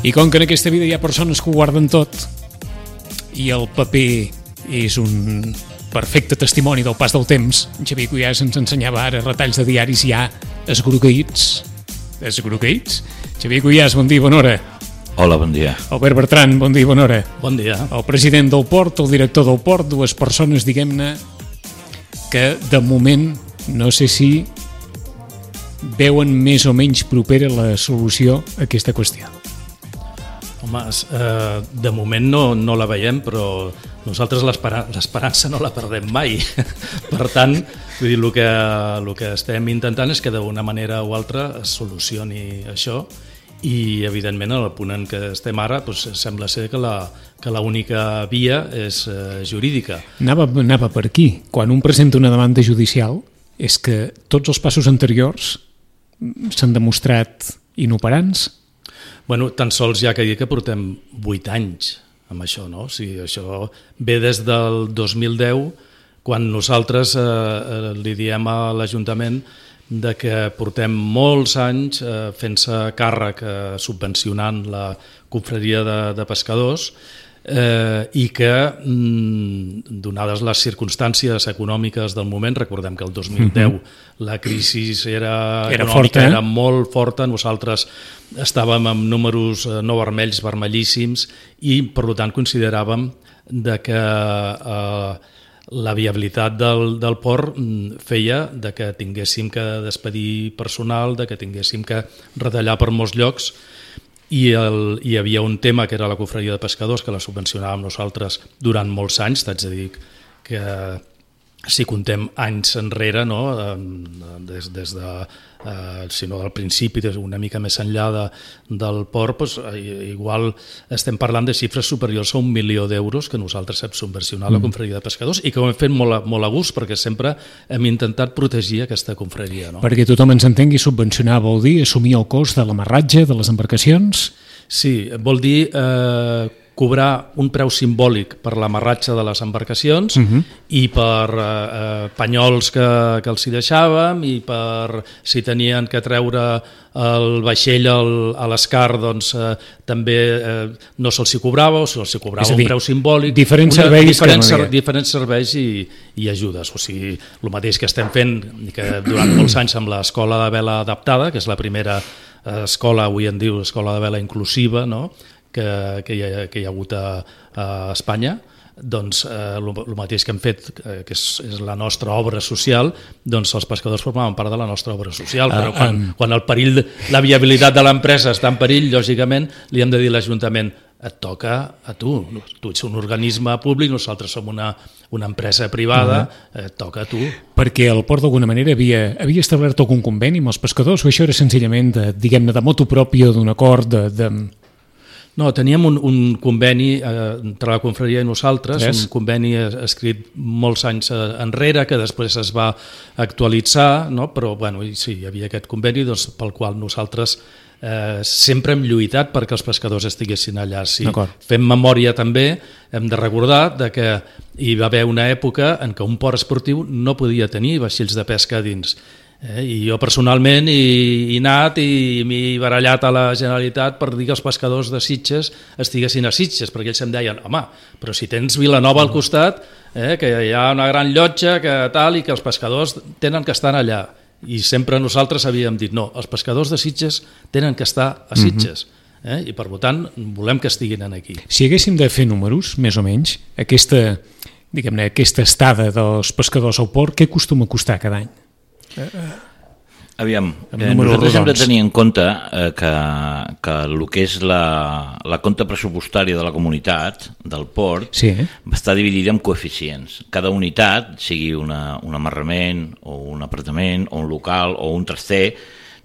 I com que en aquesta vida hi ha persones que ho guarden tot i el paper és un perfecte testimoni del pas del temps, Xavier Cuyàs ens ensenyava ara retalls de diaris ja esgrogueïts. Esgrogueïts? Xavier Cuyàs, bon dia, bona hora. Hola, bon dia. Albert Bertran, bon dia, bona hora. Bon dia. El president del port, el director del port, dues persones, diguem-ne, que de moment no sé si veuen més o menys propera la solució a aquesta qüestió. Home, de moment no la veiem, però nosaltres l'esperança no la perdem mai. Per tant, vull dir, el que estem intentant és que d'una manera o altra es solucioni això i, evidentment, en el punt en què estem ara, doncs, sembla ser que l'única via és jurídica. Anava per aquí. Quan un presenta una demanda judicial és que tots els passos anteriors s'han demostrat inoperants? Bueno, tan sols ja que dir que portem 8 anys amb això, no? O sigui, això ve des del 2010, quan nosaltres li diem a l'Ajuntament de que portem molts anys fent-se càrrec subvencionant la confraria de pescadors i que, donades les circumstàncies econòmiques del moment, recordem que el 2010 la crisi econòmica era molt forta, nosaltres estàvem amb números no vermells, vermellíssims, i per tant consideràvem de que la viabilitat del port feia de que tinguéssim que despedir personal, de que tinguéssim que retallar per molts llocs, i hi havia un tema que era la confraria de pescadors, que la subvencionàvem nosaltres durant molts anys. T'haig de dir que si contem anys enrere, no? des de si no del principi, una mica més enllà del port, doncs, igual estem parlant de xifres superiors a 1 milió d'euros que nosaltres hem subvencionat la confraria de pescadors i que ho hem fet molt a gust, perquè sempre hem intentat protegir aquesta confraria. No? Perquè tothom ens entengui, subvencionar vol dir assumir el cost de l'amarratge de les embarcacions? Sí, vol dir cobrar un preu simbòlic per l'amarratge de les embarcacions i per panyols que els hi deixàvem, i per si tenien que treure el vaixell a l'escar, doncs també no se'ls hi cobrava, o se'ls hi cobrava un preu simbòlic. Diferents serveis i ajudes. O sigui, el mateix que estem fent que durant molts anys amb l'escola de vela adaptada, que és la primera escola, avui en diu escola de vela inclusiva, no? que hi ha hagut a Espanya, doncs el mateix que hem fet, que és la nostra obra social, doncs els pescadors formaven part de la nostra obra social, però quan el perill, la viabilitat de l'empresa està en perill, lògicament li hem de dir a l'Ajuntament: et toca a tu ets un organisme públic, nosaltres som una empresa privada, et toca a tu. Perquè el port d'alguna manera havia establert algun conveni amb els pescadors, o això era senzillament, diguem-ne, de motu propio, d'un acord de... No, teníem un conveni entre la confraria i nosaltres, un conveni escrit molts anys enrere, que després es va actualitzar, no? Però bueno, sí, hi havia aquest conveni, doncs, pel qual nosaltres sempre hem lluitat perquè els pescadors estiguessin allà. Si fem memòria també, hem de recordar que hi va haver una època en què un port esportiu no podia tenir vaixells de pesca a dins. I jo personalment he anat i m'he barallat a la Generalitat per dir que els pescadors de Sitges estiguessin a Sitges, perquè ells em deien: home, però si tens Vilanova al costat, que hi ha una gran llotja, que tal, i que els pescadors tenen que estar allà. I sempre nosaltres havíem dit: no, els pescadors de Sitges tenen que estar a Sitges. I per tant volem que estiguin aquí. Si haguéssim de fer números, més o menys, aquesta estada dels pescadors al port, què acostuma a costar cada any? Aviam, nosaltres hem de tenir en compte que el que és la compta pressupostària de la comunitat, del port, està dividida en coeficients. Cada unitat, sigui un amarrament o un apartament o un local o un traster,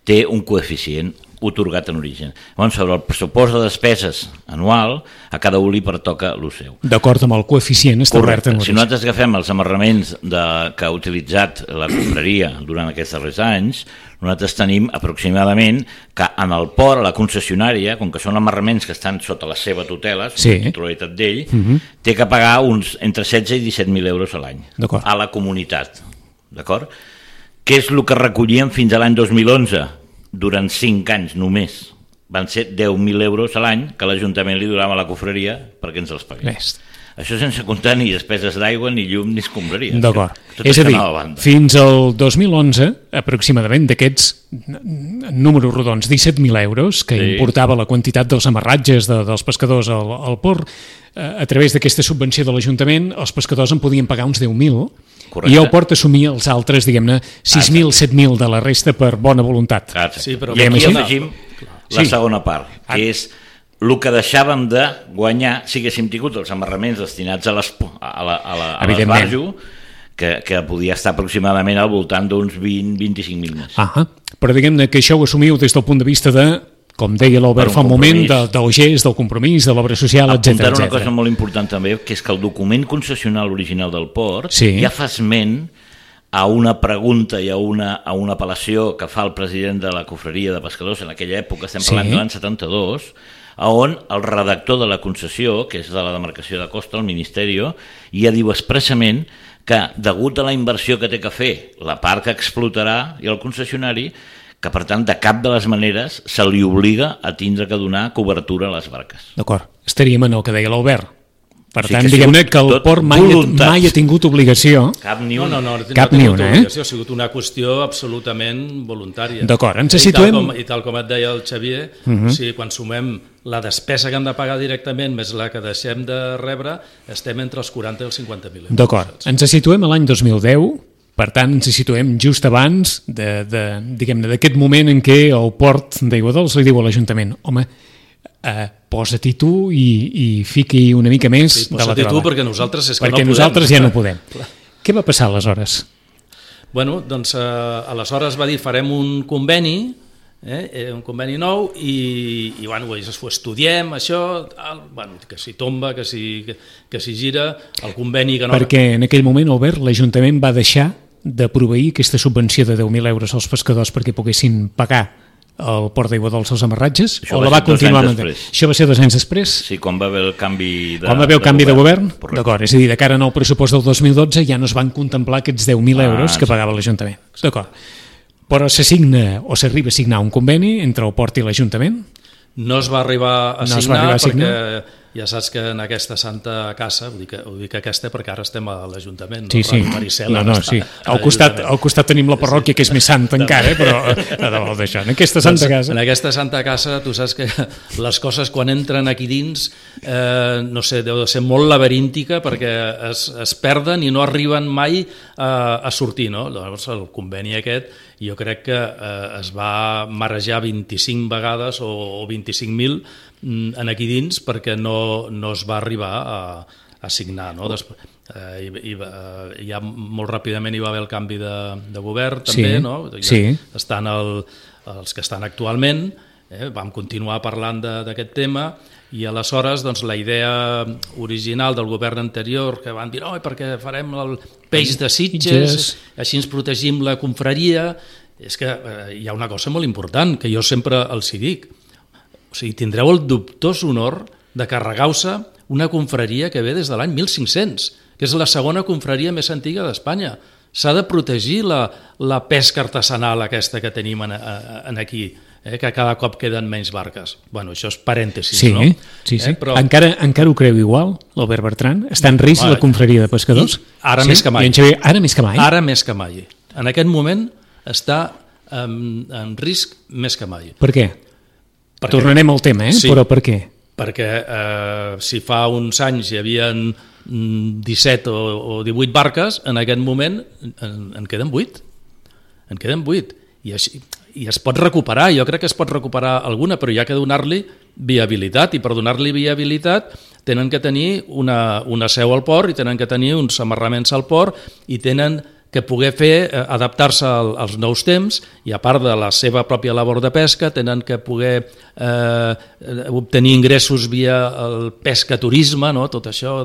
té un coeficient otorgat en origen. Llavors, sobre el pressupost de despeses anual, a cada un li pertoca el seu. D'acord amb el coeficient establert en origen. Si nosaltres agafem els amarraments que ha utilitzat la confraria durant aquests darrers anys, nosaltres tenim aproximadament que en el port, a la concessionària, com que són amarraments que estan sota la seva tutela, sota la titularitat d'ell, té que pagar uns entre 16 i 17.000 euros a l'any a la comunitat. D'acord? Què és el que recollíem fins a l'any 2011? Durant 5 anys només. van ser 10.000 euros a l'any que l'Ajuntament li donava a la cofreria perquè ens els pagués. Això sense comptar ni despeses d'aigua, ni llum, ni escombraries. D'acord. És a dir, fins al 2011, aproximadament d'aquests números rodons, 17.000 euros, que importava la quantitat dels amarratges dels pescadors al port, a través d'aquesta subvenció de l'Ajuntament, els pescadors en podien pagar uns 10.000, i el port assumia els altres, diguem-ne, 6.000, 7.000 de la resta per bona voluntat. Sí, però aquí afegim la segona part, que és el que deixàvem de guanyar si haguéssim tingut els amarraments destinats a l'esbarjo, que podia estar aproximadament al voltant d'uns 20-25.000 més. Però diguem-ne que això ho assumiu des del punt de vista de, com deia l'Albert fa un moment, del gest, del compromís, de l'obra social, etc. Apuntar una cosa molt important també, que és que el document concessional original del port ja fa esment a una pregunta i a una apel·lació que fa el president de la cofreria de pescadors en aquella època, estem parlant de l'any 72, on el redactor de la concessió, que és de la demarcació de Costa, el Ministeri, ja diu expressament que, degut a la inversió que té que fer la part que explotarà i el concessionari, que per tant de cap de les maneres se li obliga a tindre que donar cobertura a les barques. D'acord, estaríem en el que deia l'Albert. Per tant, diguem-ne que el port mai ha tingut obligació. Cap ni una. No ha tingut obligació, ha sigut una qüestió absolutament voluntària. D'acord, ens situem... I tal com et deia el Xavier, quan sumem la despesa que han de pagar directament més la que deixem de rebre, estem entre els 40 i els 50.000 euros. D'acord, ens situem a l'any 2010, per tant ens situem just abans diguem-ne d'aquest moment en què el port d'Aiguadols li diu a l'Ajuntament: home, posa-t'hi tu i fiqui una mica més de la teva mà. Perquè nosaltres és que perquè no podem. Nosaltres ja no podem. Què va passar aleshores? Bueno, doncs aleshores va dir farem un conveni, un conveni nou i bueno, ho estudiem, això, que si tomba, que si gira, el conveni que no... Perquè en aquell moment, Albert, l'Ajuntament va deixar de proveir aquesta subvenció de 10.000 euros als pescadors perquè poguessin pagar el port d'Aiguadols als amarratges, o la va continuar mantenint? Això va ser 2 anys després? Sí, quan va haver el canvi de govern. D'acord, és a dir, de cara al pressupost del 2012 ja no es van contemplar aquests 10.000 euros que pagava l'Ajuntament. D'acord. Però s'assigna o s'arriba a signar un conveni entre el port i l'Ajuntament? No es va arribar a signar perquè ja saps que en aquesta santa casa, ho dic aquesta perquè ara estem a l'Ajuntament, sí. Al costat tenim la parròquia que és més santa encara, però en aquesta santa casa. En aquesta santa casa tu saps que les coses quan entren aquí dins, no sé, deu de ser molt laberíntica perquè es perden i no arriben mai a sortir, no? Llavors el conveni aquest jo crec que es va marejar 25 vegades o 25.000 en aquí dins perquè no es va arribar a signar, no? Ja molt ràpidament hi va haver el canvi de govern també, no? Estan els que estan actualment, vam continuar parlant d'aquest tema i aleshores doncs, la idea original del govern anterior que van dir perquè farem el peix de Sitges, així ens protegim la confraria, és que hi ha una cosa molt important que jo sempre els hi dic. O sigui, tindreu el dubtós honor de carregar-se una confraria que ve des de l'any 1500, que és la segona confraria més antiga d'Espanya. S'ha de protegir la pesca artesanal aquesta que tenim aquí, que cada cop queden menys barques. Bueno, això és parèntesis, no? Sí. Però... Encara ho creu igual, l'Albert Bertran? Està en risc la confraria de pescadors? Ara més que mai. Ara més que mai? Ara més que mai. En aquest moment està en risc més que mai. Per què? Tornarem al tema, però per què? Perquè si fa uns anys hi havia 17 o 18 barques, en aquest moment en queden 8. En queden 8. I es pot recuperar, jo crec que es pot recuperar alguna, però hi ha que donar-li viabilitat, i per donar-li viabilitat tenen que tenir una seu al port, i tenen que tenir uns amarraments al port, i tenen que poder adaptar-se als nous temps, i a part de la seva pròpia labor de pesca tenen que poder obtenir ingressos via el pescaturisme, no? Tot això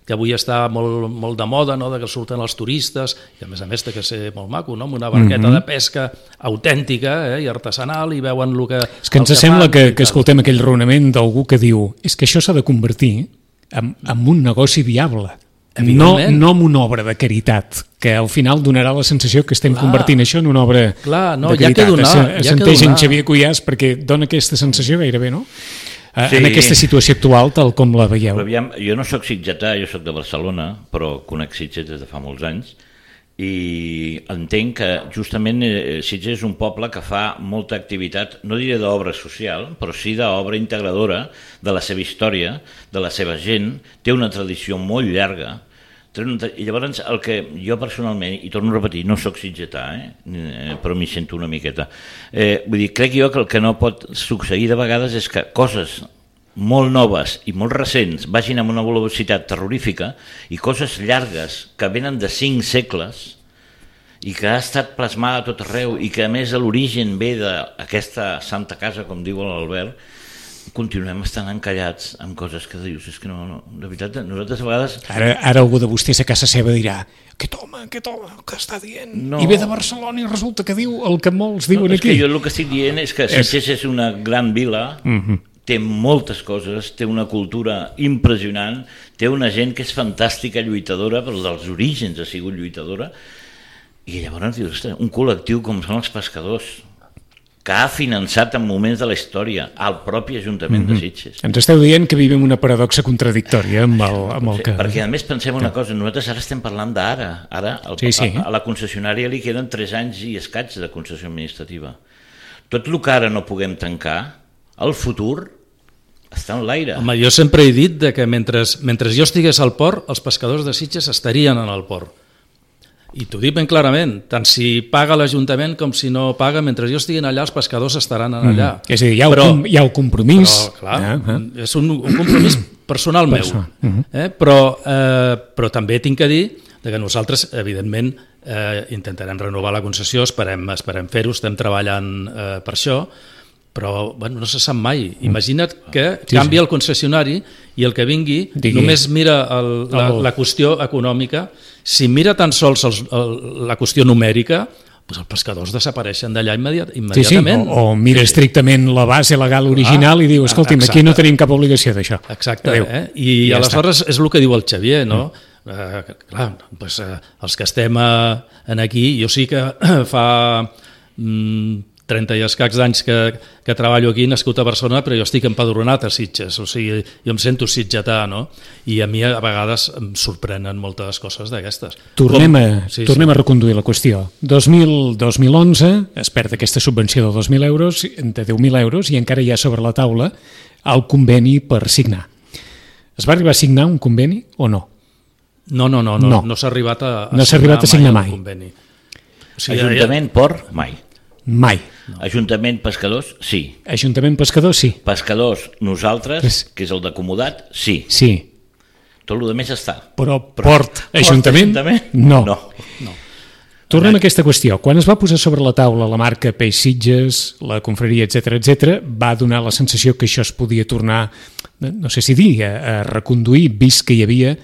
que avui està molt de moda, no? De que surten els turistes, i a més té que ser molt maco, no? Amb una barqueta de pesca autèntica i artesanal, i veuen el que... És que ens sembla que escoltem aquell raonament d'algú que diu és que això s'ha de convertir en un negoci viable. no amb una obra de caritat, que al final donarà la sensació que estem convertint això en una obra de caritat. Assenteix en Xavier Cuyàs perquè dona aquesta sensació gairebé, no? Sí. En aquesta situació actual, tal com la veieu. Però aviam, jo no soc sitgetà, jo soc de Barcelona, però conec Sitges des de fa molts anys, i entenc que justament Sitges és un poble que fa molta activitat, no diré d'obra social, però sí d'obra integradora de la seva història, de la seva gent, té una tradició molt llarga, i llavors el que jo personalment, i torno a repetir, no soc sitgetà, però m'hi sento una miqueta, vull dir, crec jo que el que no pot succeir de vegades és que coses molt noves i molt recents vagin amb una velocitat terrorífica i coses llargues que venen de 5 segles i que ha estat plasmada a tot arreu i que a més l'origen ve d'aquesta santa casa, com diu l'Albert, continuem estant encallats amb coses que dius, és que no, de veritat, nosaltres a vegades... Ara algú de vostès a casa seva dirà aquest home, què està dient? No. I ve de Barcelona i resulta que diu el que molts diuen aquí. És que jo el que estic dient és que Sitges és una gran vila, té moltes coses, té una cultura impressionant, té una gent que és fantàstica, lluitadora, però dels orígens ha sigut lluitadora, i llavors dius, un col·lectiu com són els pescadors, que ha finançat en moments de la història el propi Ajuntament de Sitges. Ens esteu dient que vivim una paradoxa contradictòria amb el que... Perquè a més pensem una cosa, nosaltres ara estem parlant d'ara, a la concessionària li queden 3 anys i escaig de concessió administrativa. Tot el que ara no puguem tancar, el futur està en l'aire. Home, jo sempre he dit que mentre jo estigués al port, els pescadors de Sitges estarien en el port. I t'ho dic ben clarament, tant si paga l'Ajuntament com si no paga, mentre jo estigui allà, els pescadors estaran allà. És a dir, hi ha un compromís. Però, clar, és un compromís personal meu. Però també tinc que dir que nosaltres, evidentment, intentarem renovar la concessió, esperem fer-ho, estem treballant per això, però no se sap mai. Imagina't que canvia el concessionari i el que vingui només mira la qüestió econòmica. Si mira tan sols la qüestió numèrica, els pescadors desapareixen d'allà immediatament. O mira estrictament la base legal original i diu, escolti'm, aquí no tenim cap obligació d'això. Exacte, i aleshores és el que diu el Xavier, no? Clar, els que estem aquí, jo sí que fa 30 i escacs d'anys que treballo aquí, nascut a Barcelona, però jo estic empadronat a Sitges, o sigui, jo em sento sitgetà, no? I a mi a vegades em sorprenen moltes coses d'aquestes. Tornem a reconduir la qüestió. 2011 es perd aquesta subvenció de 10.000 euros i encara hi ha sobre la taula el conveni per signar. Es va arribar a signar un conveni o no? No s'ha arribat a signar mai un conveni. Ajuntament Port, mai. Mai. Ajuntament Pescadors, sí. Ajuntament Pescadors, sí. Pescadors, nosaltres, que és el d'acomodat, sí. Sí. Tot el demés està. Però Port, Ajuntament, no. Tornem a aquesta qüestió. Quan es va posar sobre la taula la marca Peix Sitges, la confraria, etc, va donar la sensació que això es podia tornar, no sé si dir, a reconduir, vist que hi havia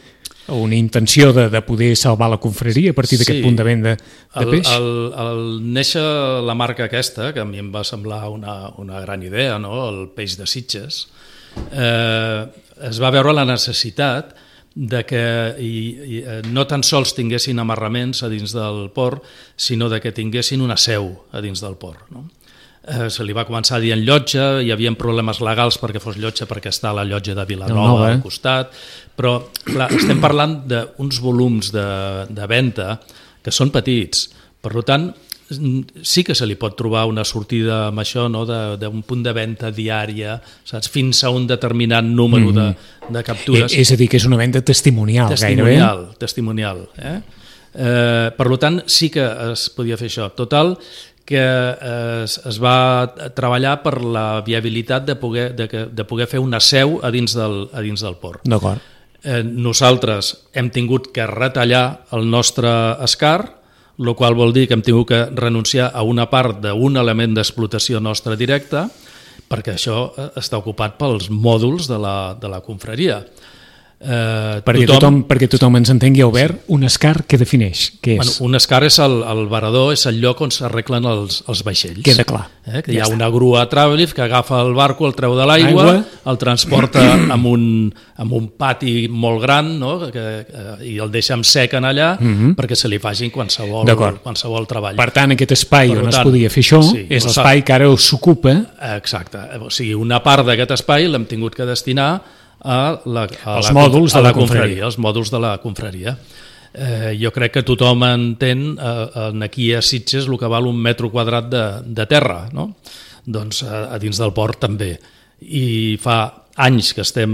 una intenció de poder salvar la confraria a partir d'aquest punt de venda de peix? Al néixer la marca aquesta, que a mi em va semblar una gran idea, no? El peix de Sitges, es va veure la necessitat de que no tan sols tinguessin amarraments a dins del port, sinó de que tinguessin una seu a dins del port, no? Se li va començar dient llotja, hi havia problemes legals perquè fos llotja perquè està la llotja de Vilanova al costat, però clar, estem parlant d'uns volums de venda que són petits, per tant sí que se li pot trobar una sortida amb això, no? D'un punt de venda diària, saps? Fins a un determinat número de captures. És a dir, que és una venda testimonial gairebé. Testimonial. Per tant, sí que es podia fer això. Total, que es va treballar per la viabilitat de poder fer una seu a dins del port. D'acord. Nosaltres hem tingut que retallar el nostre escar, el qual vol dir que hem tingut que renunciar a una part d'un element d'explotació nostra directa, perquè això està ocupat pels mòduls de la confraria. Perquè tothom ens entengui, Albert, un escar què defineix? Què és? Un escar és el varador, és el lloc on s'arreglen els vaixells. Queda clar. Que hi ha una grua Travelift que agafa el barco, el treu de l'aigua, el transporta amb un pati molt gran, no? I el deixa en sec en allà perquè se li facin qualsevol treball. Per tant, aquest espai on es podia fer això és l'espai que ara s'ocupa. Exacte. O sigui, una part d'aquest espai l'hem tingut que destinar els mòduls de la confraria. Els mòduls de la confraria. Jo crec que tothom entén aquí a Sitges el que val un metro quadrat de terra, no? Doncs a dins del port també. I fa anys que estem...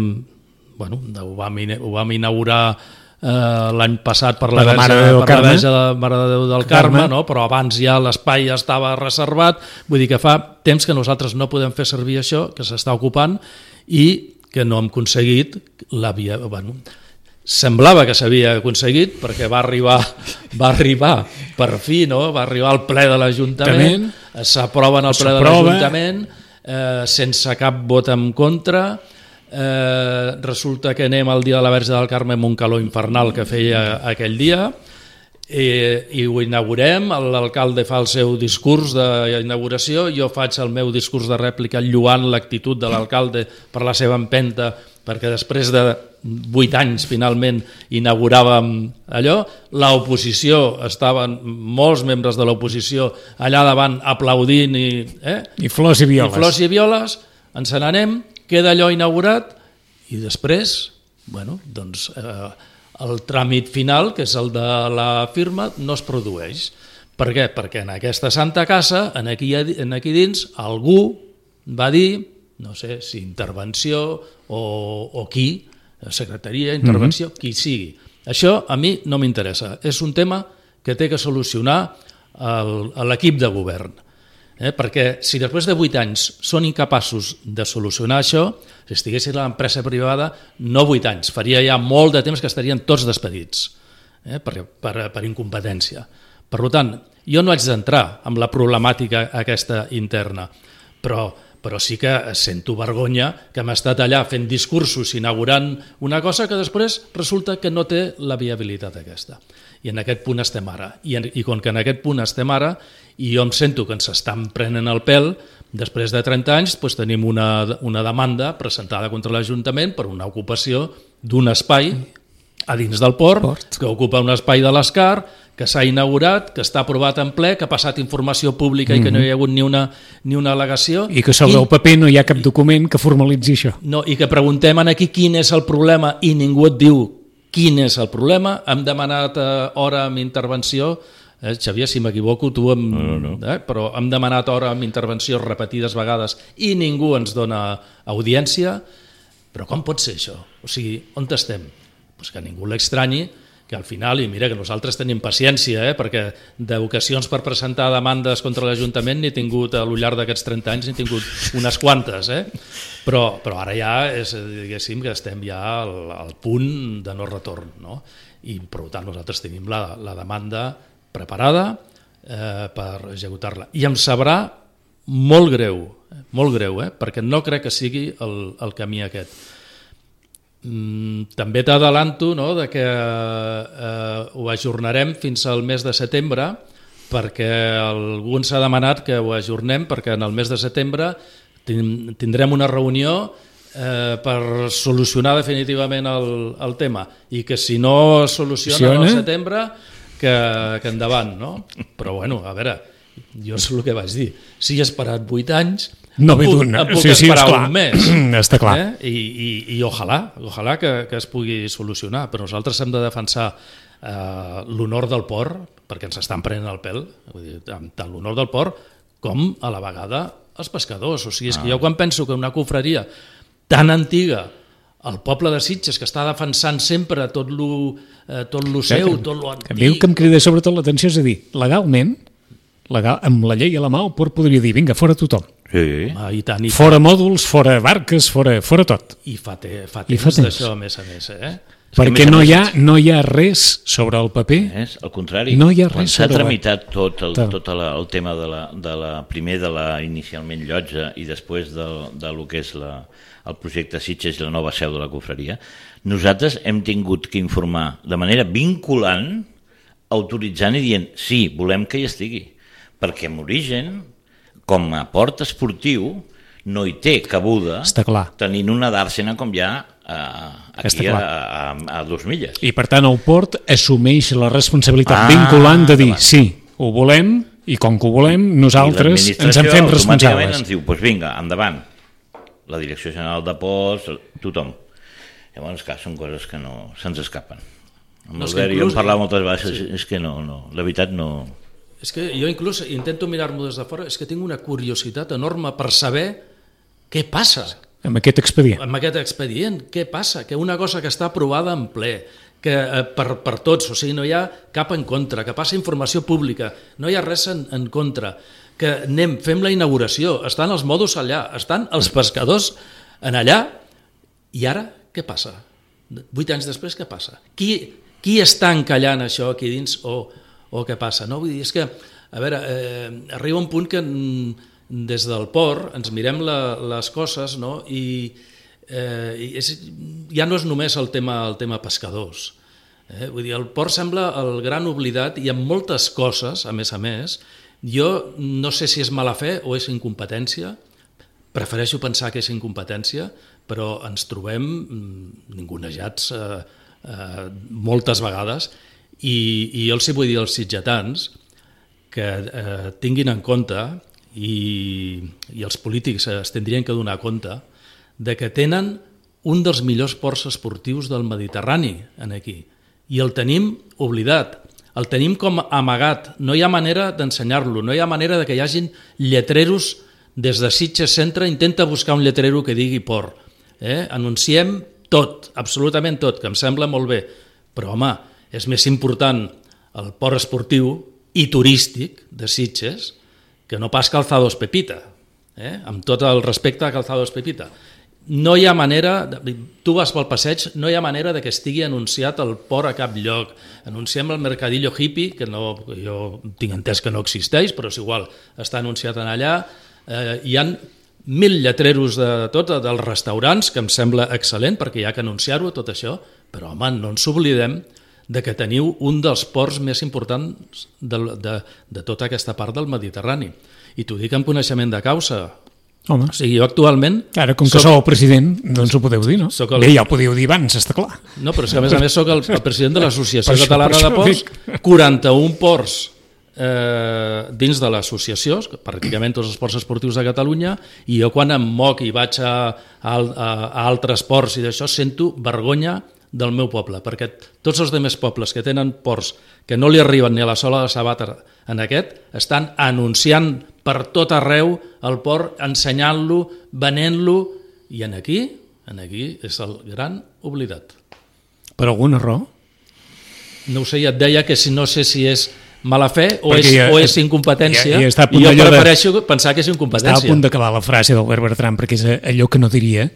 ho vam inaugurar l'any passat per la Mare de Déu del Carme, no? Però abans ja l'espai estava reservat, vull dir que fa temps que nosaltres no podem fer servir això, que s'està ocupant, i que no hem aconseguit la via... Semblava que s'havia aconseguit perquè va arribar per fi, no? Va arribar al ple de l'Ajuntament, s'aprova en el ple de l'Ajuntament sense cap vot en contra. Resulta que anem al dia de la Verge del Carme amb un calor infernal que feia aquell dia i ho inaugurem, l'alcalde fa el seu discurs d'inauguració, jo faig el meu discurs de rèplica lloant l'actitud de l'alcalde per la seva empenta, perquè després de 8 anys finalment inauguràvem allò, l'oposició, estaven molts membres de l'oposició allà davant aplaudint i flors i violes. I flors i violes, ens n'anem, queda allò inaugurat i després, doncs... el tràmit final, que és el de la firma, no es produeix. Per què? Perquè en aquesta santa casa, aquí dins, algú va dir, no sé si intervenció o qui, secretaria, intervenció, qui sigui. Això a mi no m'interessa. És un tema que té que solucionar l'equip de govern. Perquè si després de 8 anys són incapaços de solucionar això, si estiguessin a l'empresa privada, no 8 anys, faria ja molt de temps que estarien tots despedits per incompetència. Per tant, jo no haig d'entrar en la problemàtica aquesta interna, però sí que sento vergonya que hem estat allà fent discursos inaugurant una cosa que després resulta que no té la viabilitat aquesta. I en aquest punt estem ara. I com que en aquest punt estem ara, i jo em sento que ens estan prenent el pèl, després de 30 anys tenim una demanda presentada contra l'Ajuntament per una ocupació d'un espai a dins del port, que ocupa un espai de l'Escar, que s'ha inaugurat, que està aprovat en ple, que ha passat informació pública i que no hi ha hagut ni una al·legació. I que sobre el paper no hi ha cap document que formalitzi això. No, i que preguntem aquí quin és el problema i ningú et diu quin és el problema. Hem demanat hora amb intervenció, Xavier, si m'equivoco, tu però hem demanat hora amb intervenció repetides vegades i ningú ens dona audiència. Però com pot ser això? O sigui, on estem? Pues que ningú l'extranyi, que al final, i mira que nosaltres tenim paciència, perquè d'ocasions per presentar demandes contra l'Ajuntament n'he tingut, al llarg d'aquests 30 anys, n'he tingut unes quantes, però ara ja diguéssim que estem ja al punt de no retorn, no? I per tant nosaltres tenim la demanda preparada per executar-la. I em sabrà molt greu, perquè no crec que sigui el camí aquest. També t'adelanto que ho ajornarem fins al mes de setembre, perquè algú ens ha demanat que ho ajornem, perquè en el mes de setembre tindrem una reunió per solucionar definitivament el tema, i que si no es soluciona al setembre que endavant, no? Però bueno, a veure, jo és el que vaig dir, si he esperat 8 anys no puc esperar un mes. Està clar. I ojalà que es pugui solucionar, però nosaltres hem de defensar l'honor del port, perquè ens estan prenent el pèl, tant l'honor del port com a la vegada els pescadors. O sigui, és que jo quan penso que una confraria tan antiga, el poble de Sitges, que està defensant sempre tot lo seu, tot lo antic... A mi el que em crida sobretot l'atenció és a dir, legalment, amb la llei a la mà, el port podria dir, vinga, fora tothom. Sí. Fora mòduls, fora barques, fora tot. I fa temps d'això, a més. Perquè no hi ha res sobre el paper. Al contrari, no hi ha res quan s'ha tramitat tot el tema primer de la inicialment llotja i després de lo que és el projecte Sitges i la nova seu de la confraria, nosaltres hem tingut que informar de manera vinculant, autoritzant i dient sí, volem que hi estigui, perquè en origen, com a port esportiu, no hi té cabuda tenint una dàrsena com hi ha aquí a 2 milles. I per tant el port assumeix la responsabilitat vinculant de dir sí, ho volem i com que ho volem nosaltres ens en fem responsables. Automàticament ens diu, doncs vinga, endavant, la Direcció General de Ports, tothom. Llavors, clar, són coses que no se'ns escapen. Amb l'Albert i jo hem parlat moltes vegades, és que no, la veritat no... És que jo inclús intento mirar-m'ho des de fora, és que tinc una curiositat enorme per saber què passa. Amb aquest expedient. Amb aquest expedient, què passa? Que una cosa que està aprovada en ple, que per tots, o sigui, no hi ha cap en contra, que passa informació pública, no hi ha res en contra, que fem la inauguració, estan els modos allà, estan els pescadors en allà, i ara què passa? 8 anys després què passa? Qui està encallant això aquí dins o què passa? No? Vull dir, és que, a veure, arriba un punt que des del port ens mirem les coses, no? I ja no és només el tema pescadors. Vull dir, el port sembla el gran oblidat i amb moltes coses, a més, jo no sé si és mala fe o és incompetència, prefereixo pensar que és incompetència, però ens trobem ningunejats moltes vegades i jo els vull dir als sitgetans que tinguin en compte i els polítics es tindrien que donar compte de que tenen un dels millors ports esportius del Mediterrani aquí i el tenim oblidat, el tenim com amagat, no hi ha manera d'ensenyar-lo, no hi ha manera de que hi hagin lletreros des de Sitges Centre, intenta buscar un lletrero que digui port. Anunciem tot, absolutament tot, que em sembla molt bé, però home, és més important el port esportiu i turístic de Sitges que no pas Calzados Pepita, amb tot el respecte a Calzados Pepita. No hi ha manera, tu vas pel passeig, no hi ha manera de que estigui anunciat el port a cap lloc. Anunciem el Mercadillo Hippie, que jo tinc entès que no existeix, però és igual, està anunciat en allà. Hi ha 1.000 lletreros de tot, dels restaurants, que em sembla excel·lent, perquè hi ha que anunciar-ho, tot això, però home, no ens oblidem de que teniu un dels ports més importants de tota aquesta part del Mediterrani. I t'ho dic amb coneixement de causa. Home. O sigui, jo actualment... Ara, com que sou el president, doncs ho podeu dir, no? Bé, ja ho podíeu dir abans, està clar. No, però és que a més soc el president de l'Associació Catalana de Ports, 41 ports dins de l'associació, pràcticament tots els ports esportius de Catalunya, i jo quan em moc i vaig a altres ports i d'això sento vergonya del meu poble, perquè tots els altres pobles que tenen ports que no li arriben ni a la sola de sabata en aquest, estan anunciant per tot arreu el port, ensenyant-lo, venent-lo, i aquí és el gran oblidat. Per alguna raó? No ho sé, ja et deia que no sé si és mala fe o és incompetència, i jo prefereixo pensar que és incompetència. Està a punt d'acabar la frase d'Albert Bertran, perquè és allò que no diria,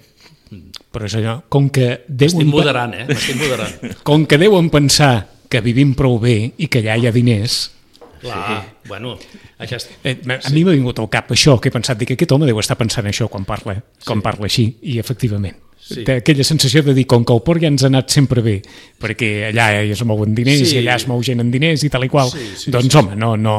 però és allò, com que M'estic moderant, m'estic moderant. Com que deuen pensar que vivim prou bé i que allà hi ha diners... Clar, bueno... A mi m'ha vingut al cap això, que he pensat, que aquest home deu estar pensant això quan parla així, i efectivament. Té aquella sensació de dir, com que el port ja ens ha anat sempre bé, perquè allà es mouen diners i allà es mou gent amb diners i tal i qual, doncs home, no.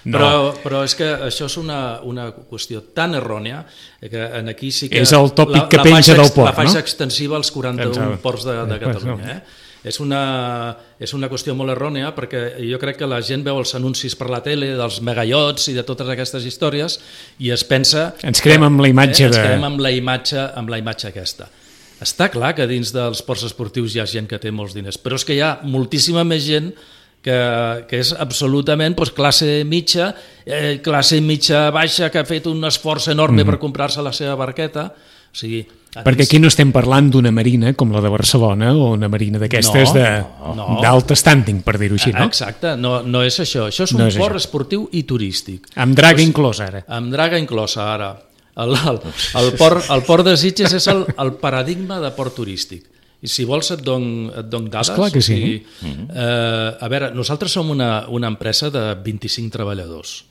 Però és que això és una qüestió tan errònia que aquí sí que... És el tòpic que penja del port, no? La faixa extensiva als 41 ports de Catalunya, És una qüestió molt errònia perquè jo crec que la gent veu els anuncis per la tele dels megaiots i de totes aquestes històries i es pensa... Ens creem amb la imatge Ens creem amb la imatge aquesta. Està clar que dins dels ports esportius hi ha gent que té molts diners, però és que hi ha moltíssima més gent que és absolutament classe mitja baixa, que ha fet un esforç enorme per comprar-se la seva barqueta. O sigui, perquè aquí no estem parlant d'una marina com la de Barcelona o una marina d'aquestes d'alt standing, per dir-ho així, no? Exacte, no és això. Això és un port esportiu i turístic. Amb draga inclosa, ara. Amb draga inclosa, ara. El port de Sitges és el paradigma de port turístic. I si vols et dono dades. Esclar que sí. A veure, nosaltres som una empresa de 25 treballadors,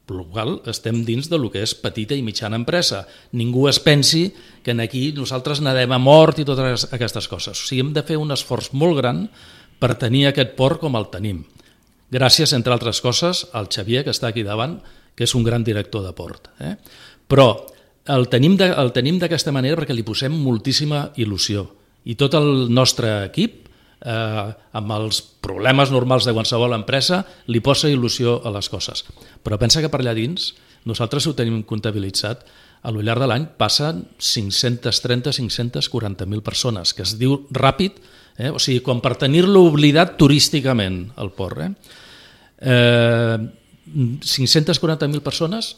per la qual estem dins del que és petita i mitjana empresa. Ningú es pensi que aquí nosaltres nadem a mort i totes aquestes coses. O sigui, hem de fer un esforç molt gran per tenir aquest port com el tenim. Gràcies, entre altres coses, al Xavier, que està aquí davant, que és un gran director de port. Però el tenim d'aquesta manera perquè li posem moltíssima il·lusió. I tot el nostre equip, amb els problemes normals de qualsevol empresa, li posa il·lusió a les coses. Però pensa que per allà dins, nosaltres ho tenim comptabilitzat, a lo llarg de l'any passen 530-540.000 persones, que es diu ràpid, o sigui, com per tenir-lo oblidat turísticament, el port. 540.000 persones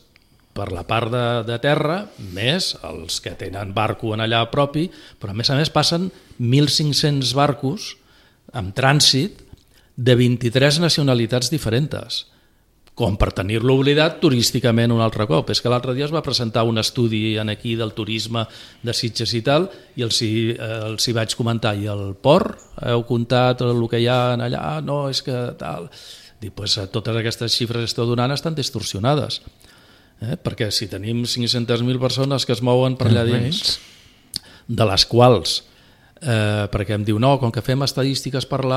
per la part de terra, més els que tenen barco en allà propi, però a més passen 1.500 barcos amb trànsit de 23 nacionalitats diferents, com per tenir-lo oblidat turísticament un altre cop. És que l'altre dia es va presentar un estudi aquí del turisme de Sitges i tal, i els hi vaig comentar, i el port, heu comptat el que hi ha allà? No, és que tal... Dic, doncs totes aquestes xifres que esteu donant estan distorsionades. Perquè si tenim 500.000 persones que es mouen per allà dins, de les quals, perquè em diu, no, com que fem estadístiques pel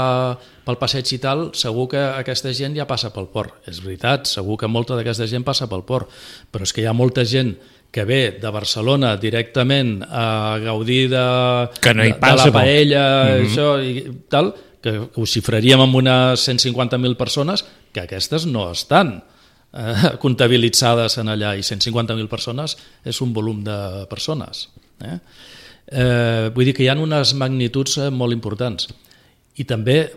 passeig i tal, segur que aquesta gent ja passa pel port. És veritat, segur que molta d'aquesta gent passa pel port, però és que hi ha molta gent que ve de Barcelona directament a gaudir de la paella, això i tal, que ho xifraríem amb unes 150.000 persones, que aquestes no estan comptabilitzades en allà, i 150.000 persones és un volum de persones. Vull dir que hi ha unes magnituds molt importants. I també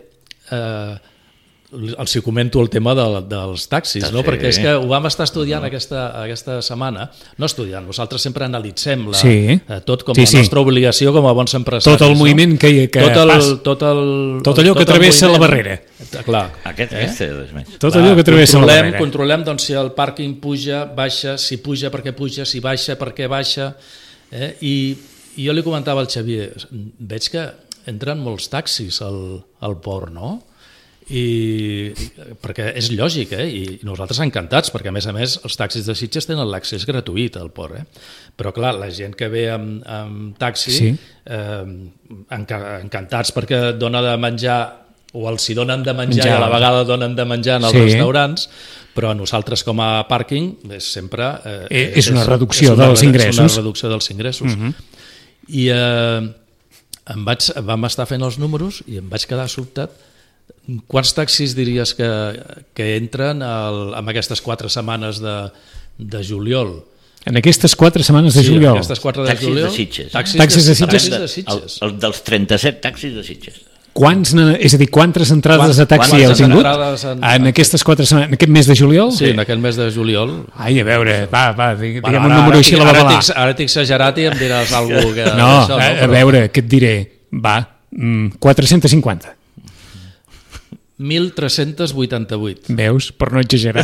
els comento el tema dels taxis, no? Perquè és que ho vam estar estudiant aquesta setmana, no estudiant, nosaltres sempre analitzem tot com la nostra obligació com a bons empresaris. Tot el moviment que fas. Tot allò que travessa la barrera. Clar. Tot allò que travessa la barrera. Controlem si el pàrquing puja, baixa, si puja perquè puja, si baixa perquè baixa. I jo li comentava al Xavier, veig que entren molts taxis al port, no? Perquè és lògic, i nosaltres encantats, perquè a més els taxis de Sitges tenen l'accés gratuït al port, però clar, la gent que ve amb taxi encantats perquè dona de menjar, o els hi donen de menjar i a la vegada donen de menjar en els restaurants, però nosaltres com a pàrquing sempre és una reducció dels ingressos. És una reducció dels ingressos. I vam estar fent els números i em vaig quedar sobtat. Quants taxis diries que entren en aquestes 4 setmanes de juliol? En aquestes 4 setmanes de juliol? En aquestes 4 de juliol. Taxis de Sitges. El dels 37 taxis de Sitges. És a dir, quantes entrades de taxi heu tingut en aquestes 4 setmanes, en aquest mes de juliol? Sí, en aquest mes de juliol. Ai, a veure, diguem un número així a la babalà. Ara t'he exagerat i em diràs alguna cosa. No, a veure, què et diré? 450. 1.388. Veus? Per no exagerar.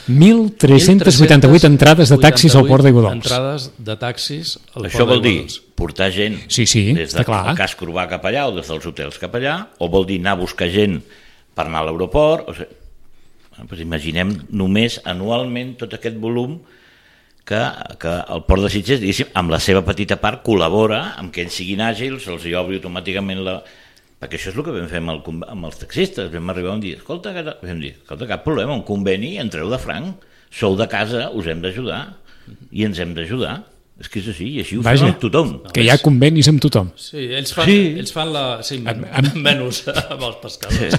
1.388 entrades de taxis al port d'Aiguadols. Entrades de taxis al port d'Aiguadols. Això vol dir portar gent des del casc urbà cap allà o des dels hotels cap allà, o vol dir anar a buscar gent per anar a l'aeroport. Imaginem només anualment tot aquest volum que el port de Sitges, diguéssim, amb la seva petita part col·labora amb que ells siguin àgils, els hi obri automàticament perquè això és el que vam fer amb els taxistes. Vam arribar un dia, escolta, cap problema, un conveni, entreu de franc, sou de casa, us hem d'ajudar i ens hem d'ajudar. És que és així, i així ho fem amb tothom. Que hi ha convenis amb tothom. Sí, ells fan la... Sí, menys amb els pescadors.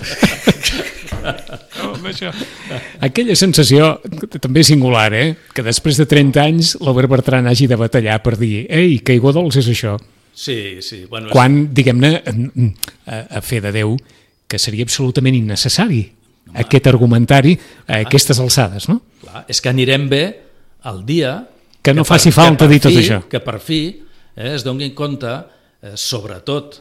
Aquella sensació també singular, que després de 30 anys l'Albert Bertran hagi de batallar per dir que Aiguadols és això. Sí. Quan, diguem-ne, a fe de Déu, que seria absolutament innecessari aquest argumentari a aquestes alçades, no? Clar, és que anirem bé el dia... Que no faci falta dir tot això. Que per fi es donin compte, sobretot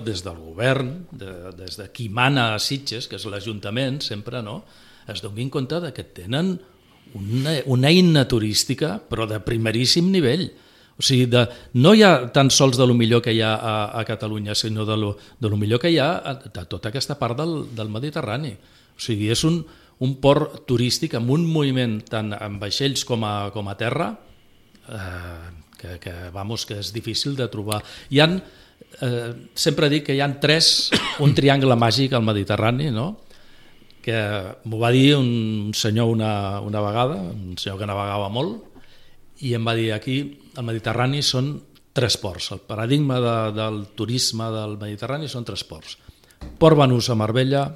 des del govern, des de qui mana a Sitges, que és l'Ajuntament, sempre, no? Es donin compte que tenen una eina turística, però de primeríssim nivell. O sigui, no hi ha tan sols de lo millor que hi ha a Catalunya, sinó de lo millor que hi ha de tota aquesta part del Mediterrani. O sigui, és un port turístic amb un moviment tant en vaixells com a terra que és difícil de trobar. Sempre dic que hi ha un triangle màgic al Mediterrani, no? Que m'ho va dir un senyor una vegada, un senyor que navegava molt, i em va dir aquí al Mediterrani són 3 ports. El paradigma del turisme del Mediterrani són 3 ports. Port Banús a Marbella,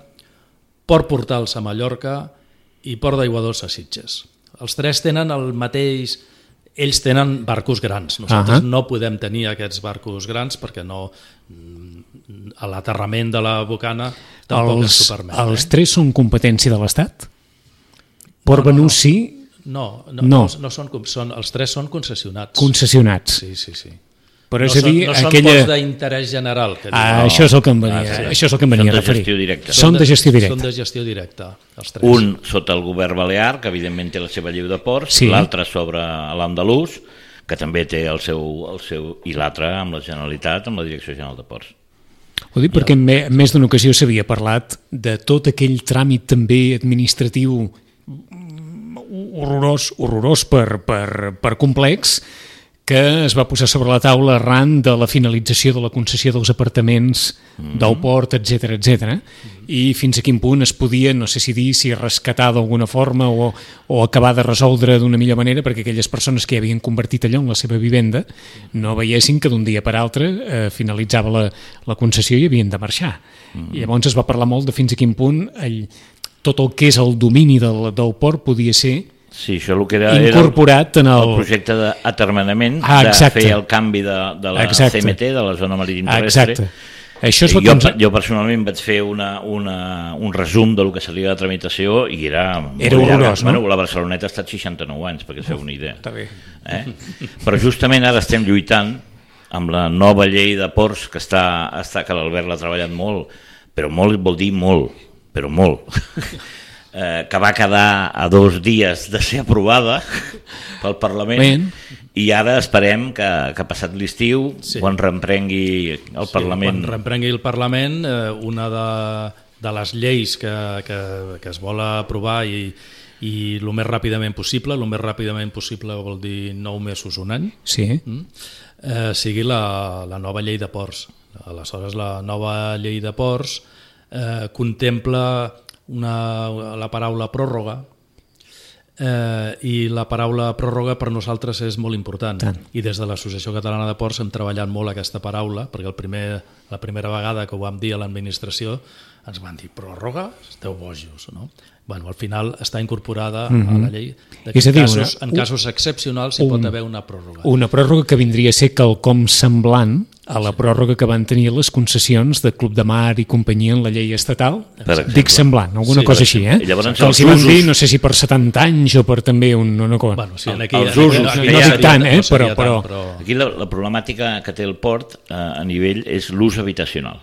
Port Portals a Mallorca i Port d'Aiguadols a Sitges. Els 3 tenen el mateix... Ells tenen barcos grans. Nosaltres no podem tenir aquests barcos grans perquè a l'aterrament de la bocana tampoc ens ho permet. Els 3 són competència de l'Estat? Port Banús sí? No, els 3 són concessionats. Concessionats. Sí. Però no són ports d'interès general. Això és el que em venia a referir. Són de gestió directa. Són de gestió directa, els 3. Un sota el govern balear, que evidentment té la seva llei de ports, l'altre sobre l'andalús, que també té el seu i l'altre amb la Generalitat, amb la Direcció General de Ports. Ho dic perquè en més d'una ocasió s'havia parlat de tot aquell tràmit també administratiu horrorós per complex, que es va posar sobre la taula arran de la finalització de la concessió dels apartaments del port, etc. I fins a quin punt es podia, no sé si dir, si rescatar d'alguna forma o acabar de resoldre d'una millor manera perquè aquelles persones que ja havien convertit allò en la seva vivenda no veiessin que d'un dia per altre finalitzava la concessió i havien de marxar. I llavors es va parlar molt de fins a quin punt tot el que és el domini del port podia ser incorporat en el projecte d'atermenament, de fer el canvi de la CMT, de la zona marítim terrestre. Jo personalment vaig fer un resum del que seria la tramitació i era horrorós, no? La Barceloneta ha estat 69 anys, perquè es feu una idea. Però justament ara estem lluitant amb la nova llei de ports que l'Albert l'ha treballat molt, però molt vol dir molt, però molt, que va quedar a 2 dies de ser aprovada pel Parlament i ara esperem que passat l'estiu, quan reemprengui el Parlament... Quan reemprengui el Parlament, una de les lleis que es vol aprovar i el més ràpidament possible, vol dir 9 mesos, un any, sigui la nova llei de ports. Aleshores, la nova llei de ports contempla la paraula pròrroga i la paraula pròrroga per nosaltres és molt important i des de l'Associació Catalana de Ports hem treballat molt aquesta paraula perquè la primera vegada que ho vam dir a l'administració ens van dir pròrroga? Esteu bojos, no? Bueno, al final està incorporada a la llei. En casos excepcionals hi pot haver una pròrroga. Una pròrroga que vindria a ser quelcom semblant a la pròrroga que van tenir les concessions de Club de Mar i companyia en la llei estatal. Dic semblant, alguna cosa així, que els hi van dir, no sé si per 70 anys o per també una cosa. Els usos. No dic tant, però... Aquí la problemàtica que té el port a nivell és l'ús habitacional.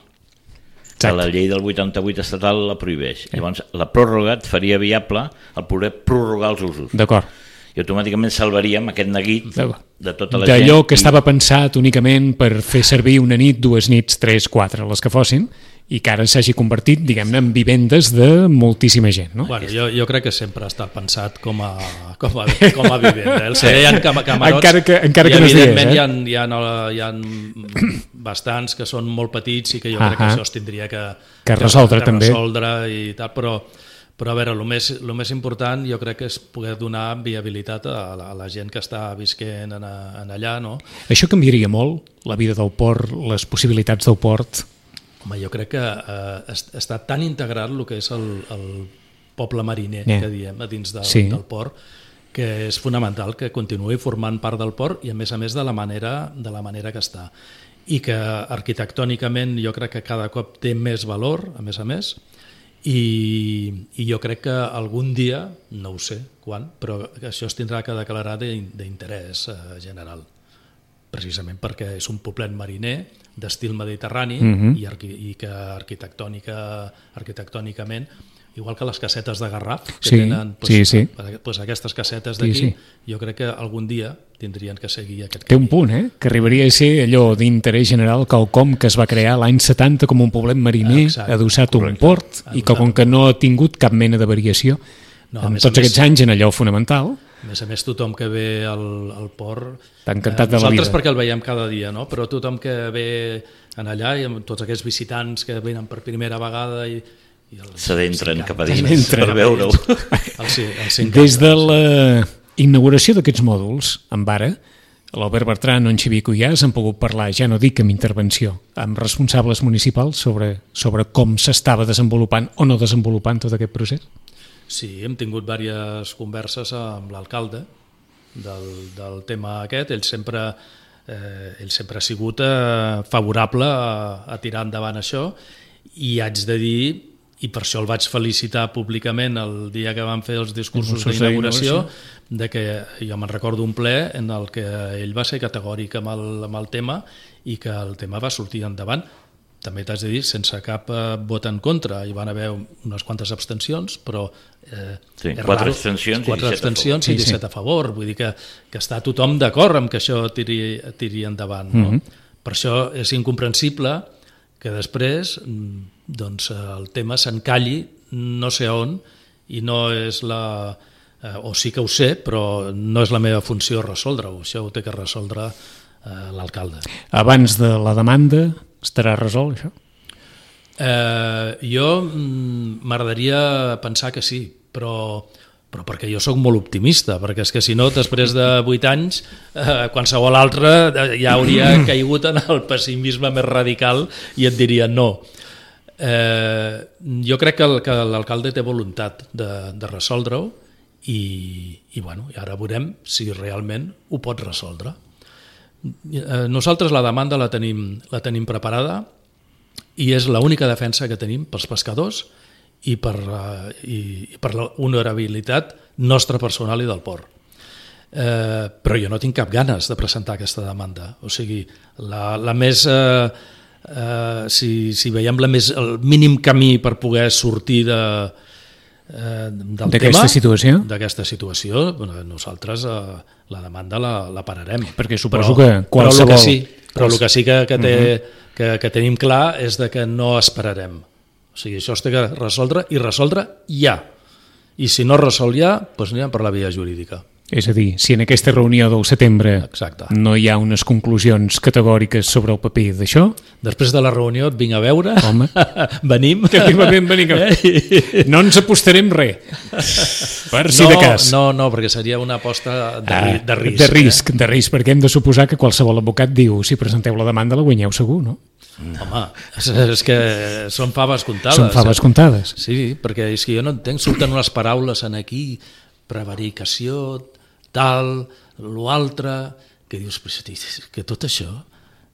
Que la llei del 88 estatal la prohibeix. Llavors, la pròrroga et faria viable el poder prorrogar els usos. D'acord. I automàticament salvaríem aquest neguit de tota la gent. D'allò que estava pensat únicament per fer servir una nit, 2 nits, 3, 4, les que fossin, i que ara s'hagi convertit, diguem-ne, en vivendes de moltíssima gent, no? Bueno, jo crec que sempre ha estat pensat com a vivenda. Hi ha camarots encara que i evidentment hi ha bastants que són molt petits i que jo crec que això es tindria que resoldre també. I tal, però a veure, el més important jo crec que és poder donar viabilitat a la gent que està visquent en allà, no? Això canviaria molt, la vida del port, les possibilitats del port? Home, jo crec que està tan integrat el que és el poble mariner, que diem, a dins del port, que és fonamental que continuï formant part del port i a més de la manera que està. I que arquitectònicament jo crec que cada cop té més valor, a més, i jo crec que algun dia, no ho sé quan, però això es tindrà que declarar d'interès general, precisament perquè és un poblet mariner d'estil mediterrani i que arquitectònicament, igual que les casetes de Garraf que tenen, aquestes casetes d'aquí, jo crec que algun dia tindrien que seguir aquest camí. Té un punt, que arribaria a ser allò d'interès general, quelcom que es va crear l'any 70 com un poblet mariner adossat a un port i que com que no ha tingut cap mena de variació en tots aquests anys en allò fonamental. A més, tothom que ve al port... T'ha encantat de la vida. Nosaltres perquè el veiem cada dia, no? Però tothom que ve en allà i amb tots aquests visitants que venen per primera vegada i s'adentren cap a dins per veure-ho. Des de la inauguració d'aquests mòduls, amb ara, l'Albert Bertran o en Xavier Cuyàs han pogut parlar, ja no dic amb intervenció, amb responsables municipals sobre com s'estava desenvolupant o no desenvolupant tot aquest procés? Sí, hem tingut diverses converses amb l'alcalde del tema aquest. Ell sempre ha sigut favorable a tirar endavant això i haig de dir, i per això el vaig felicitar públicament el dia que van fer els discursos d'inauguració, de que jo me'n recordo un ple en el que ell va ser categòric amb el tema i que el tema va sortir endavant. També t'has de dir, sense cap vot en contra. Hi van haver unes quantes abstencions, però... 4 abstencions i 17 a favor. Vull dir que està tothom d'acord amb que això tiri endavant. No? Per això és incomprensible que després el tema s'encalli no sé on i no és o sí que ho sé, però no és la meva funció resoldre-ho. Això ho té que resoldre l'alcalde. Abans de la demanda estarà resolt, això? Jo m'agradaria pensar que sí, però perquè jo sóc molt optimista, perquè és que si no, després de 8 anys, qualsevol altre ja hauria caigut en el pessimisme més radical i et diria no. Jo crec que l'alcalde té voluntat de resoldre-ho i ara veurem si realment ho pot resoldre. Nosaltres la demanda la tenim preparada i és l'única defensa que tenim pels pescadors i per l'honorabilitat nostra personal i del port. Però jo no tinc cap ganes de presentar aquesta demanda. O sigui, la més... si veiem el mínim camí per poder sortir d'aquesta situació, nosaltres la demanda la pararem. Perquè suposo que qualsevol... Però el que sí que tenim clar és que no esperarem. O sigui, això es té que resoldre i resoldre ja. I si no es resol ja, doncs anirem per la via jurídica. És a dir, si en aquesta reunió del setembre no hi ha unes conclusions categòriques sobre el paper d'això... Després de la reunió et vinc a veure, venim... No ens apostarem res, per si de cas. No, perquè seria una aposta de risc. De risc, perquè hem de suposar que qualsevol advocat diu si presenteu la demanda la guanyeu segur, no? Home, és que són faves comptades. Són faves comptades. Sí, perquè és que jo no entenc, surten unes paraules en aquí, prevaricació, tal, l'altre, que dius, que tot això,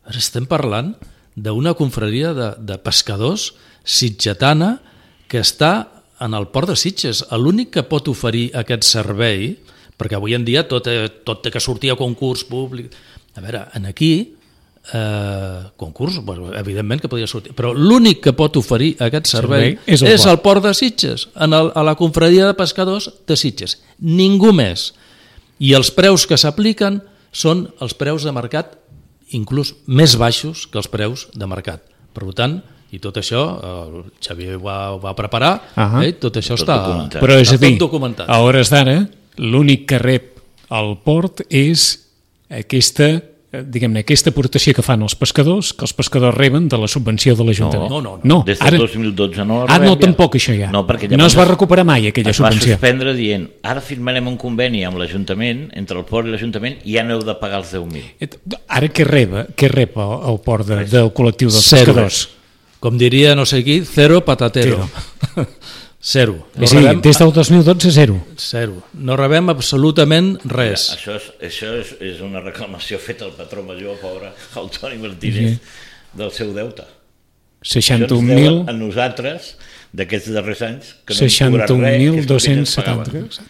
ara estem parlant d'una confraria de pescadors sitgetana que està en el port de Sitges. L'únic que pot oferir aquest servei, perquè avui en dia tot té que sortir a concurs públic. A veure, aquí, concurs, evidentment que podria sortir, però l'únic que pot oferir aquest servei és el port de Sitges, a la confraria de pescadors de Sitges. Ningú més. I els preus que s'apliquen són els preus de mercat inclús més baixos que els preus de mercat. Per tant, i tot això, el Xavier ho va preparar, tot això està documentat. Però és a dir, a hores d'ara, l'únic que rep el port és aquesta aportació que fan els pescadors, que els pescadors reben de la subvenció de l'Ajuntament. No. Des del 2012 no la rebem. No, tampoc això ja. No es va recuperar mai aquella subvenció. Es va suspendre dient, ara firmarem un conveni amb l'Ajuntament, entre el port i l'Ajuntament, i ja n'heu de pagar els 10.000. Ara què rep el port del col·lectiu dels pescadors? Com diria no sé qui, cero patatero. Zero. Des del 2012, zero. Zero. No rebem absolutament res. Això és una reclamació feta al patró major, pobre, el Toni Martínez, del seu deute. 61.000... A nosaltres, d'aquests darrers anys, que no hem cobrat res. 61.270.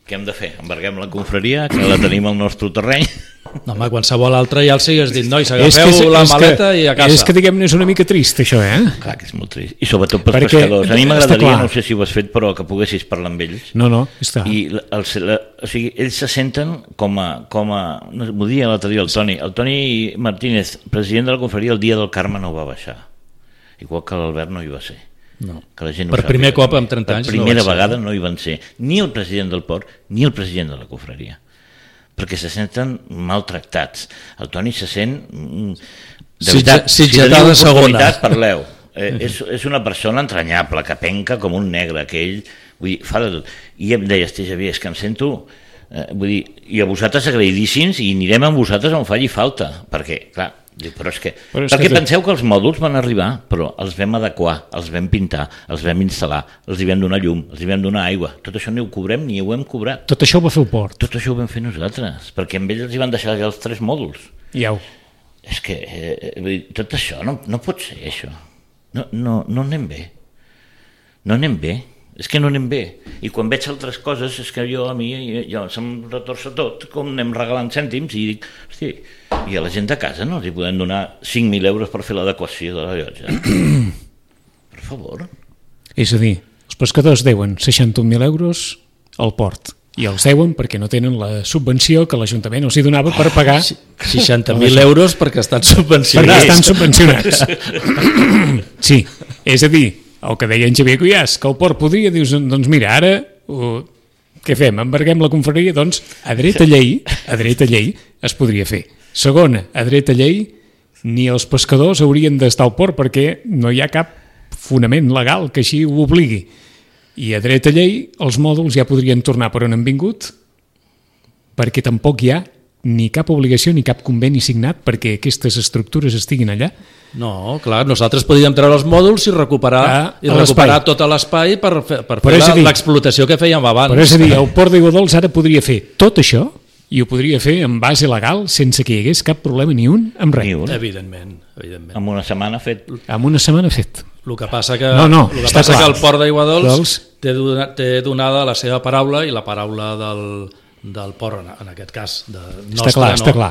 Què hem de fer? Embarguem la confraria, que la tenim al nostre terreny. No, home, qualsevol altre ja el sigues dit, nois, agafeu la maleta i a casa. És que, diguem-ne, és una mica trist, això, Clar que és molt trist. I sobretot pels pescadors. A mi m'agradaria, no sé si ho has fet, però que poguessis parlar amb ells. No, està. I o sigui, ells se senten com a m'ho dia l'altre dia el Toni Martínez, president de la confraria, el dia del Carme no va baixar. Igual que l'Albert no hi va ser. No. Que la gent per primer cop en 30 anys per primera vegada no hi van ser ni el president del port ni el president de la confraria, perquè se senten maltractats. El Toni se sent de veritat, si teniu oportunitat parleu. És una persona entranyable, que penca com un negre, que ell vull dir, fa de tot. I em deia, Xavier, és que em sento vull dir, i a vosaltres agraïdíssims, i anirem amb vosaltres on faci falta, perquè clar, però és que penseu que els mòduls van arribar, però els vam adequar, els vam pintar, els vam instal·lar, els hi vam donar llum, els hi vam donar aigua. Tot això no ho cobrem ni ho hem cobrat. Tot això ho va fer el port? Tot això ho vam fer nosaltres, perquè amb ells els hi van deixar ja els 3 mòduls. És que tot això no pot ser, això. No anem bé. No anem bé. És que no anem bé. I quan veig altres coses, és que a mi se'm retorça tot, com anem regalant cèntims, i dic, hosti, i a la gent de casa no els hi podem donar 5.000 euros per fer l'adequació de la llotja. Per favor. És a dir, els pescadors deuen 61.000 euros al port, i els deuen perquè no tenen la subvenció que l'Ajuntament els hi donava per pagar... 60.000 euros perquè estan subvencionats. Perquè estan subvencionats. Sí, és a dir, el que deia en Xavier Cuyàs, que el port podria, dius, doncs mira, ara què fem? Embarguem la confraria? Doncs a dreta llei es podria fer. Segona, a dreta llei ni els pescadors haurien d'estar al port perquè no hi ha cap fonament legal que així ho obligui. I a dreta llei els mòduls ja podrien tornar per on han vingut perquè tampoc hi ha ni cap obligació ni cap conveni signat perquè aquestes estructures estiguin allà. No, clar, nosaltres podíem treure els mòduls i recuperar tot l'espai per fer l'explotació que fèiem abans. Però és a dir, el port d'Aigua Dols ara podria fer tot això i ho podria fer en base legal sense que hi hagués cap problema ni un amb res. Evidentment. Amb una setmana fet. El que passa que el port d'Aigua Dols té donada la seva paraula i la paraula del port, en aquest cas nostre, està clar.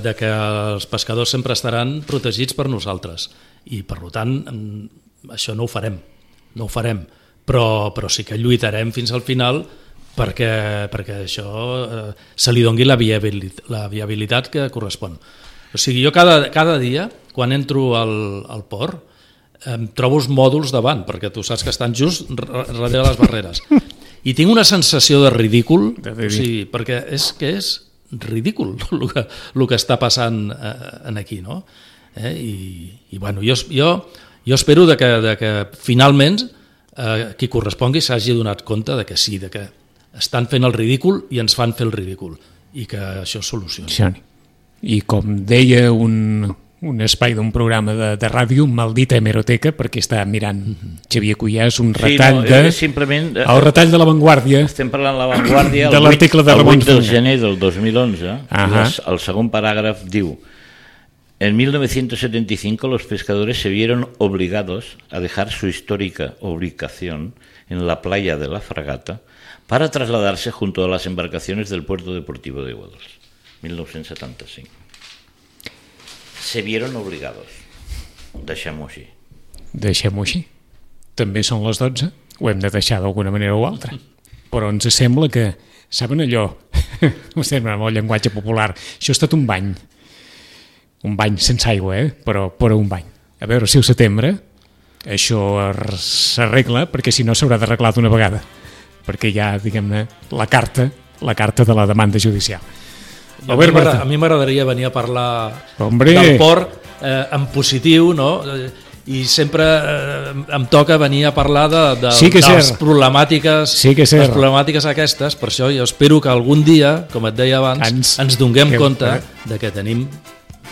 De que els pescadors sempre estaran protegits per nosaltres i per tant això no ho farem, però sí que lluitarem fins al final perquè això se li doni la viabilitat que correspon. O sigui, jo cada dia quan entro al port em trobo els mòduls davant, perquè tu saps que estan just darrere les barreres. I tinc una sensació de ridícul, perquè és ridícul el que està passant aquí, no? I bueno, jo espero que finalment qui correspongui s'hagi donat compte de que sí, de que estan fent el ridícul i ens fan fer el ridícul, i que això es solucioni. I com deia un espai d'un programa de ràdio, maldita hemeroteca, perquè està mirant Xavier Cuyàs un retall el retall de La Vanguardia. Estem parlant de La Vanguardia de l'article de Ramon del gener del 2011. El segon paràgraf diu: en 1975 los pescadores se vieron obligados a dejar su histórica ubicación en la playa de la Fragata para trasladarse junto a las embarcaciones del puerto deportivo de Aigua Dols. 1975. Se vieron obligados. Deixem-ho així. Deixem-ho així. També són les 12. Ho hem de deixar d'alguna manera o altra. Però ens sembla que, saben allò, estem amb el llenguatge popular, això ha estat un bany. Un bany sense aigua, però un bany. A veure si al setembre això s'arregla, perquè si no s'haurà d'arreglar d'una vegada. Perquè hi ha, diguem-ne, la carta de la demanda judicial. A mi m'agradaria venir a parlar del port en positiu, no? I sempre em toca venir a parlar de les problemàtiques aquestes. Per això jo espero que algun dia, com et deia abans, ens donem compte de que tenim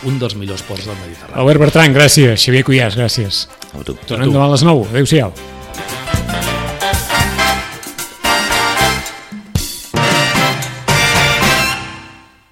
un dels millors ports del Mediterrani. Albert Bertran, gràcies. Xavier Cuyàs, gràcies. Tornem demà a les 9. Adéu-siau.